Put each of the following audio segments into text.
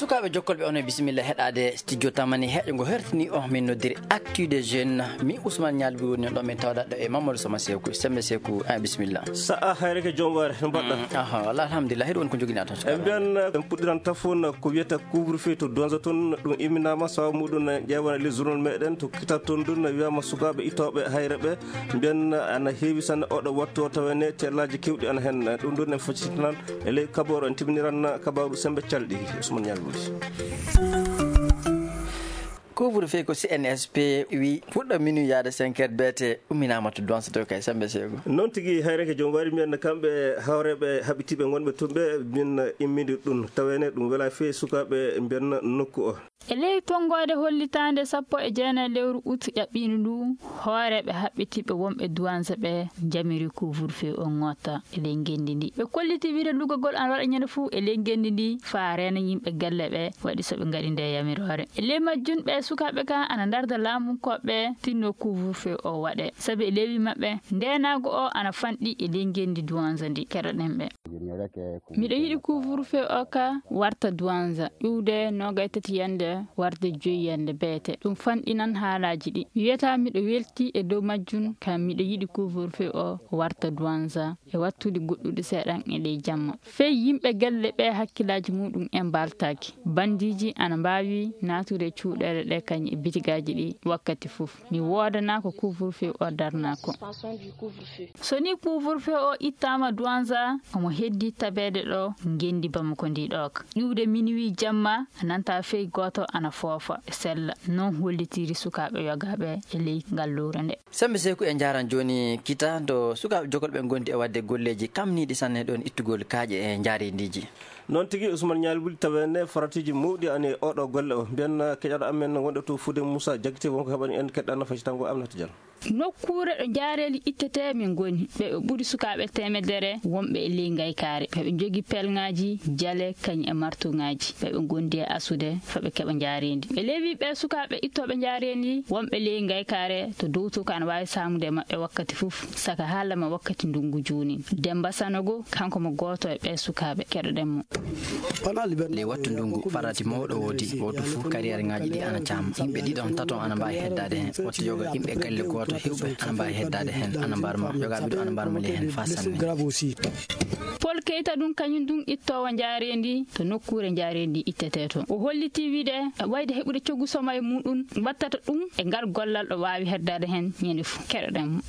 sukaɓe jokkolɓe on e bisimilla heɗade studio tamani heƴo ngo hertini o min noddiri actu des jeunes mi Ousmane Nialbi woni ɗo min tawɗaɗo e Mamadou Sama Sekou sembe Sekou bisimilla sa a hayreke joom waare no mbaɗɗa walla alhamdulillah heɗo woni ko joguina tan e mbiyan en puɗɗiran tafon ko wiyata couvre-feu to donza toon ɗum imminama sawa muɗum ƴewana les journal meɗen to kitat toon ɗum wiyama sukaɓe ittoɓe hayre ɓe mbiyan ana heewi sanne oɗo wattu o tawene tellaji kewɗi ana hen ɗum ɗon en foccitinan e ley kabaru en timiniran kabaru sembe calɗi Ousmane Nialbi. couvre-feu ko CNSP wi fuɗɗo minuit yaade 5 heures beete umminama to donsa to kay sembe Sekou noon tigui hayreke joom wari mbiyen kamɓe hawreɓe haɓitiɓe gonɓe tumɓe min immidi ɗum tawene ɗum wela fewi sukaɓe mbiyen nokku o e ley tongode hollitande 19 lewru août ƴaɓɓino ndu hooreɓe haɓɓitiɓe wonɓe douance ɓe jamiri couvre-feu on ngotta e ley gendi ndi ɓe kolliti wiide lugagol an waɗa ñande fuu e ley gendi ndi fa rena yimɓe galle ɓe waɗi soɓe gaɗi nde yamirore e ley majjun ɓe sukaɓe ka ana darda laamukoɓe tinno couvre-feu o waɗe saabi e lewi mabɓe ndenago o ana fanɗi e ley gendi douance ndi keɗoɗen ɓe miɗo yiɗi couvre-feu o ka warta douance ƴiwde 23 yande warde 5 yande beete ɗum fanɗinan haalaji ɗi wiyata miɗo welti e dow majjun kam miɗo yiɗi couvre-feu o warta douance e wattude goɗɗuɗe seeɗan e ley jamma fey yimɓe galle ɓe hakkillaji muɗum en baltaki bandiji ana mbawi natude cuuɗele ɗe kañum e bitigaji ɗi wakkati fof mi wodana ko couvre-feu o darnako so ni couvre-feu o ittama douance omo heddi tabede ɗo gendi bamako ndi ɗoka ƴiwde minuit jamma nanta fey goto ana foofa e sella non hollitiri sukaɓe yogaɓe e ley gallure nde sembe Sekou e jaran joni kita do sukaɓe jokolɓe gondi e wadde golleji kamniɗi sanne ɗon ittugol kaaƴe e jaarindiji noon tigui Ousmane Nialbi tawene faratiji mawɗi ani oɗo golle o mbiyen keƴaɗo amen wonɗo to Foude Moussa Diakité wonko heɓani en keɗɗa nafacitango Aminata Diallo nokkure ɗo jaareli ittete min goni ɓe ɓuuri sukaɓe temedere wonɓe e ley gaykare ɓeɓe jogui pelŋaji jaale kañum e martuŋaji ɓeɓe gondi e asude fooɓe keeɓa jaarendi e lewi ɓe sukaɓe ittoɓe jaarendi wonɓe ley gaykare to dow to ko ana wawi samude mabɓe wakkati foof saka haalama wakkati ndungu juni Demba Sanogo kanko mo goto e ɓe sukaɓe keɗoɗenmo ley wattu ndungu farati mawɗo woodi woto foof carriére ngaji ɗi ana caama yimɓe ɗiɗon taton ana mbawi heddade hen wattu yoga yimɓe galle goto hewɓe ana mbawi heddade hen ana mbarma yogaɓe ɗo ana mbarma ley hen fa sanne Paul Keita ɗum kañum ɗum ittowo jaarendi to nokkure jaarendi ittete toon o holliti wiide wayde heɓude coggu soma e muɗum wattata ɗum e ngal gollal ɗo wawi heddade hen ñande foof keɗoɗenmo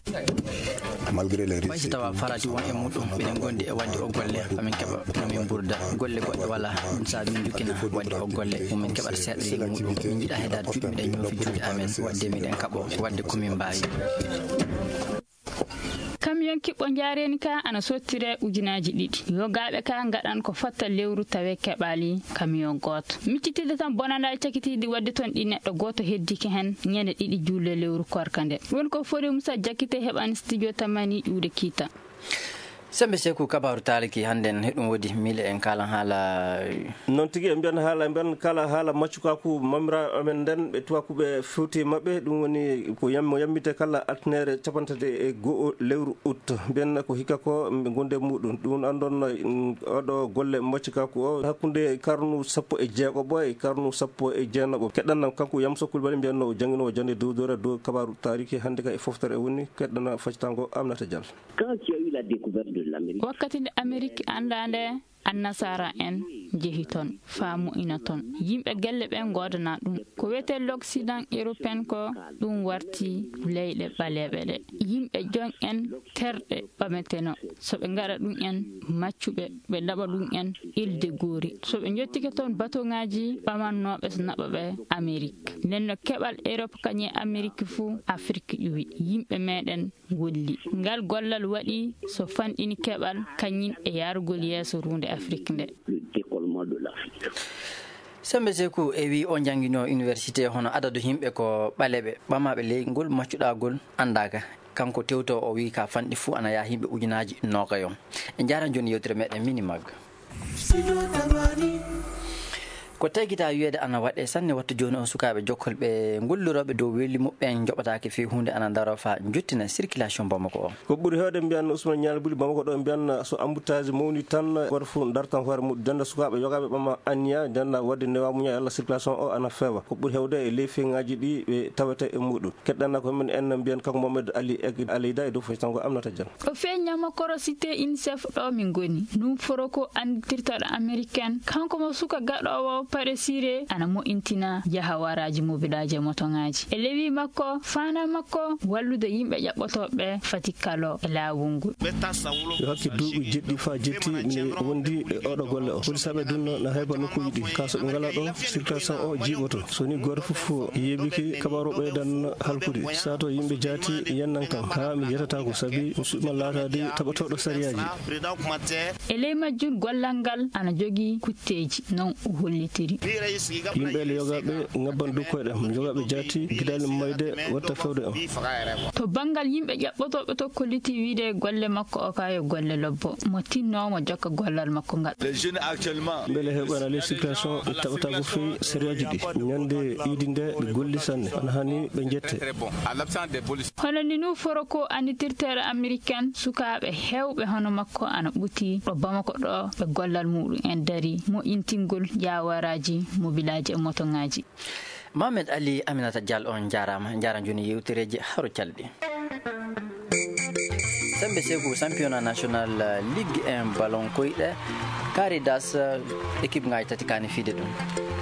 mayso tawa farati won e muɗum mbiɗen gondi e wadde o golle famin keeɓa min burda golle goɗɗe wala ɗum sa min jukkina wadde o golle min keɓata seeɗa leydi muɗum min jiiɗa heddade juuɗe miɗen ñoofi juuɗe amen wadde miɗen kaɓo wadde komin mbawi camion kiɓɓo jaareni ka ana sottire ujunaji ɗiɗi yogaɓe ka gaɗan ko fatta lewru tawe keɓali camion goto miccitide tan bonanda cakitiɗi wadde toon ɗi neɗɗo goto heddiki hen ñande ɗiɗi julle lewru korka nde ɗum ko Fodé Moussa Diakité heɓani studio tamani ƴiwde kiita sembe Sekou kabaru taliki handen heɗum woodi mile en kala haala noon tigui e mbiyan haala mbiyan kala haala maccukaku mamira amen nden ɓe tubakuɓe fewti mabɓe ɗum woni ko yammite kala altinere capantati e goho lewru août mbiyan ko hikka ko ɓe gonde muɗum ɗum andon oɗo golle maccukaku o hakkude karnu 16 e karnu 19 keɗɗannam kanko Yamso Coulibaly mbiyanno o jangguinowo jande dowdore dow kabaru tariki hande ka e foftere woni keɗɗana faccitango Aminata Diallo wakkati nde Amérique andande annasara en jehi toon faamu ina toon yimɓe galle ɓen godana ɗum ko wiyete l'Occident européen ko ɗum warti leyɗe ɓaleɓe ɗe yimɓe jon en terɗe ɓameteno soɓe gaɗa ɗum en maccuɓe ɓe laɓa ɗum en ilde goori soɓe jottike toon bateau ngaji ɓamannoɓe so naɓa ɓe Amérique nenno keɓal Europe kañe Amérique fou Afrique ƴuwi yimɓe meɗen golli ngal gollal waɗi so fanɗini keɓal kañum e yarugol yeeso runde Afrique nde sembe Sekou e wi o jangguino université hono adadu yimɓe ko ɓaleɓe ɓamaɓe ley ngol maccuɗagol andaka kanko tewto o wi ka fanɗi fou ana yaa yimɓe ujunaji nogayon e jaran joni yewtere meɗen mini magga ko tagita wiyeede ana waɗe sanne wattu joni on sukaɓe jokkol ɓe golliroɓe dow weeli muɓɓen joɓatake fi hunde ana daro fa juttina circulation Bamako o ko ɓuuri hewde mbiyan Ousmane Nial Buli Bamako ɗo mbiyan so embouteillage mawni tan goto fof dartan hoore mum denda sukaɓe yogaɓe ɓama anniya denda wadde newa muña Allah circulation o ana feewa ko ɓuuri hewde e ley feŋaji ɗi ɓe tawete e muɗum keɗɗanna ko men en mbiyan kanko Mamadou Ali Aleyda e dow fof tanko Aminata Diane o feññama korosité INSEF ɗo min goni ɗum foro ko anditirtaɗo américaine kanko mo suka gaɗowo paɗe siré ana mo'intina jaha waraji mobilaji e motoŋaji e lewi makko fana makko wallude yimɓe ƴaɓɓotoɓe fati kalo e laawol ngol yo hakke duuɓi jeɗɗi fa jetti mi wondi e oɗo golle o polisaɓe dunno na hayba nokkuji ɗi kaso ɓe ngala ɗo circulation o jiiɓoto soni goto fof yeɓiki kabaru ɓeydan halkude sato yimɓe jaati yennan kam ha mi yetata ko saabi mi suɓima laatade taɓatoɗo sariyaji e ley majjum gollal ngal ana jogii kutteji non o hollitiri yimɓe yogaɓe ngabban dukkoyɗe jogaɓe jaati guiɗali mayde watta fewde on to banggal yimɓe ƴaɓɓotoɓe to kolliti wiide golle makko o kayo golle lobbo mo tinnomo jokka gollal makko ngal beele heɓana les situation ɗe taɓata ko fewi sériyaji ɗi ñande iidi nde ɓe golli sanne ana hani ɓe jette hono ni nu foro ko anditirtere américaine sukaɓe hewɓe hono makko ana ɓuti ɗo Bamako ɗo ɓe gollal muɗum en dari mo intingol jawaraji mobilaji e motoŋaji. Mohamed Ali Aminata Diallo on jarama joni yewtereji haro calɗi sembe segu championnat national ligue 1 ballon koyɗe Caridas équipe ngaji tati kani fiide ɗum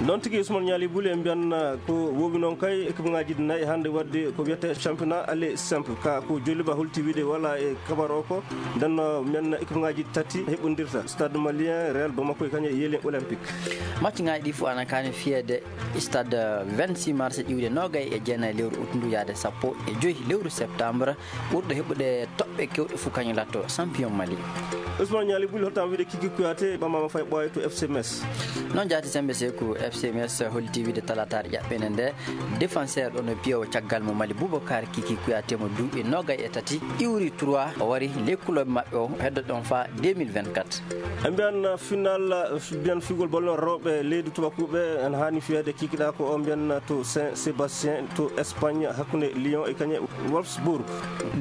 noon tigui Ousmane Niali Buli en mbiyan ko wowi noon kay équipe ngaji nayyi hande wadde ko wiyete championnat aller simple ka ko joliba holti wiide wala e kabar o ko ndenno men équipe ngaji tati heɓodirta stade malien Real Bamako e kañum e Yelin olympique match ngaji ɗi fof ana kani fiyede stade 26 mars ƴiwde nogay e jeenayi lewru août ndu yaade 15 lewru septembre ɓurɗo heɓude toɓɓe kewɗe fof kañum latto champion Mali. Ousmane Niali Buli holtam wiide Kiki Kouyaté ɓamama fay ɓooye to FC Metz noon jaati sembe sekou FC Metz holti wiide talatare ƴaɓɓene nde défenseur ɗon piyowo caggal mo Mali Boubacar Kiki Kouyaté mo duuɓi nogay e tati iwri 3 o wari lekkuloɓe mabɓe o heddo ɗon fa 2024 e mbiyan final mbiyan figol bolno rewɓe leydi tubakuɓe en hani fiyede kikiɗa ko o mbiyan to Saint Sébastien to Espagne hakkude Lyon e kañum Wolfsburg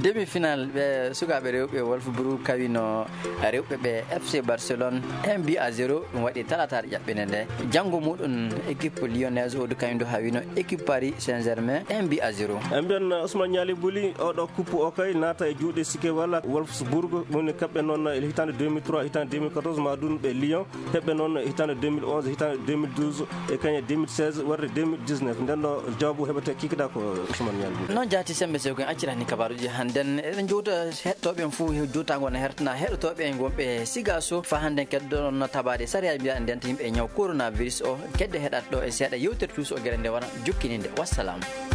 demi final ɓe sukaɓe rewɓe Wolfsburg kawino rewɓe ɓe FC Barcelone 1-0 ɗum waɗi talatare ƴaɓɓene nde janggo muɗum équipe lyonnaise o du kañum ha wino équipe Paris Saint-Germain 1-0 en mbiyan Ousmane Niali Buli oɗo coupe o kay naata e juuɗe sikke walla Wolfsburg woni kaɓɓe noon e hitande 2003 hitande 2014 ma ɗum ɓe Lyon heɓɓe noon hitande 2011 hitande 2012 e kañum 2016 warde 2019 nden ɗo jawabu heɓete kikiɗa ko Ousmane Niali Buli noon jaati sembe sew koen accirani kabaruji hannden eɗen jowta heɗtoɓe en fo jottago ne hertana heɗotoɓe en gonɓe sigaso fa hande keddono tabade sariyaji mbiyaɗen ndenta yimɓe ñaw coronavirus o kedde heɗat ɗo e seeɗa yewtere tous o gueɗe nde wona jukkininde wassalamu.